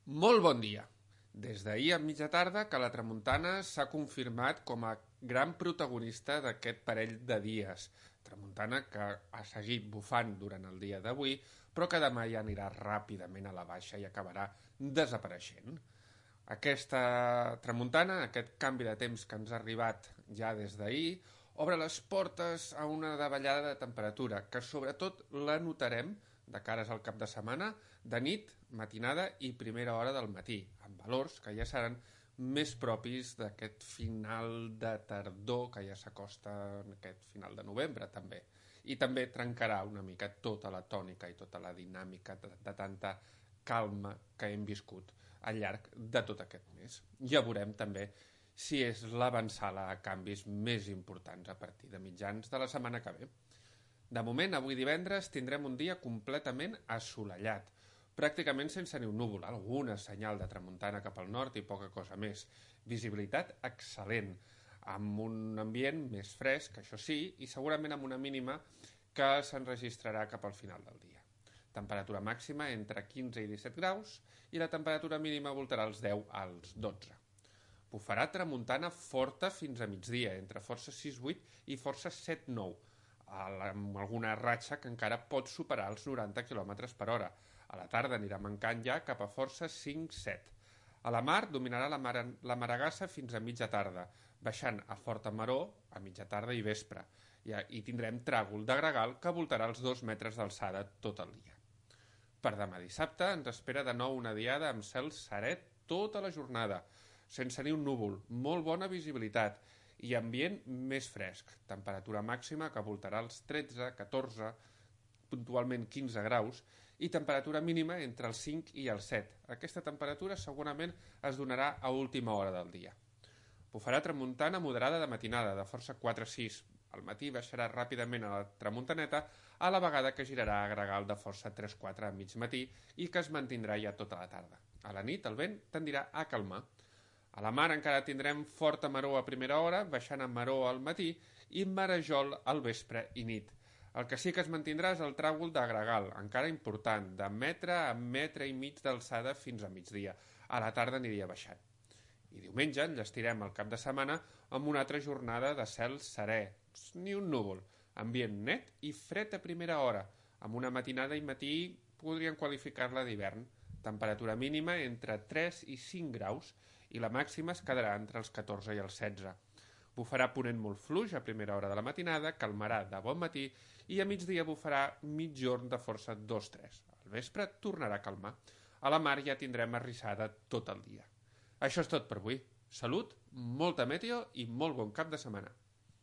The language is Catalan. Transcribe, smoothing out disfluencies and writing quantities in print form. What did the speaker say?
Molt bon dia. Des d'ahir a mitja tarda que la tramuntana s'ha confirmat com a gran protagonista d'aquest parell de dies. Tramuntana que ha seguit bufant durant el dia d'avui, però que demà ja anirà ràpidament a la baixa i acabarà desapareixent. Aquesta tramuntana, aquest canvi de temps que ens ha arribat ja des d'ahir, obre les portes a una davallada de temperatura, que sobretot la notarem de cares al cap de setmana, de nit, matinada i primera hora del matí, amb valors que ja seran més propis d'aquest final de tardor que ja s'acosta en aquest final de novembre, també. I també trencarà una mica tota la tònica i tota la dinàmica de tanta calma que hem viscut al llarg de tot aquest mes. Ja veurem també si és l'avançada a canvis més importants a partir de mitjans de la setmana que ve. De moment, avui divendres, tindrem un dia completament assolellat, pràcticament sense ni un núvol, alguna senyal de tramuntana cap al nord i poca cosa més. Visibilitat excel·lent, amb un ambient més fresc, això sí, i segurament amb una mínima que s'enregistrarà cap al final del dia. Temperatura màxima entre 15 i 17 graus i la temperatura mínima voltarà els 10 als 12. Bufarà tramuntana forta fins a migdia, entre força 6-8 i força 7-9, amb alguna ratxa que encara pot superar els 90 km per hora. A la tarda anirà mancant ja cap a força 5-7. A la mar dominarà la maragassa fins a mitja tarda, baixant a forta maró a mitja tarda i vespre. I tindrem tràgol de gregal que voltarà els 2 metres d'alçada tot el dia. Per demà dissabte ens espera de nou una diada amb cel serè tota la jornada, sense ni un núvol, molt bona visibilitat i ambient més fresc, temperatura màxima que voltarà els 13, 14, puntualment 15 graus i temperatura mínima entre els 5 i els 7. Aquesta temperatura segurament es donarà a última hora del dia. Bufarà tramuntana moderada de matinada, de força 4-6. Al matí baixarà ràpidament a la tramuntaneta, a la vegada que girarà a gregal de força 3-4 a mig matí i que es mantindrà ja tota la tarda. A la nit el vent tendirà a calmar. A la mar encara tindrem forta maró a primera hora, baixant a maró al matí i marejol al vespre i nit. El que sí que es mantindrà és el tràgol de gregal, encara important, de metre a metre i mig d'alçada fins a migdia. A la tarda aniria baixant. I diumenge enllestirem el cap de setmana amb una altra jornada de cel serè, ni un núvol, ambient net i fred a primera hora, amb una matinada i matí podrien qualificar-la d'hivern, temperatura mínima entre 3 i 5 graus i la màxima es quedarà entre els 14 i els 16. Bufarà ponent molt fluix a primera hora de la matinada, calmarà de bon matí i a migdia bufarà mitjorn de força 2-3. Al vespre tornarà a calmar. A la mar ja tindrem arrissada tot el dia. Això és tot per avui. Salut, molta meteo i molt bon cap de setmana.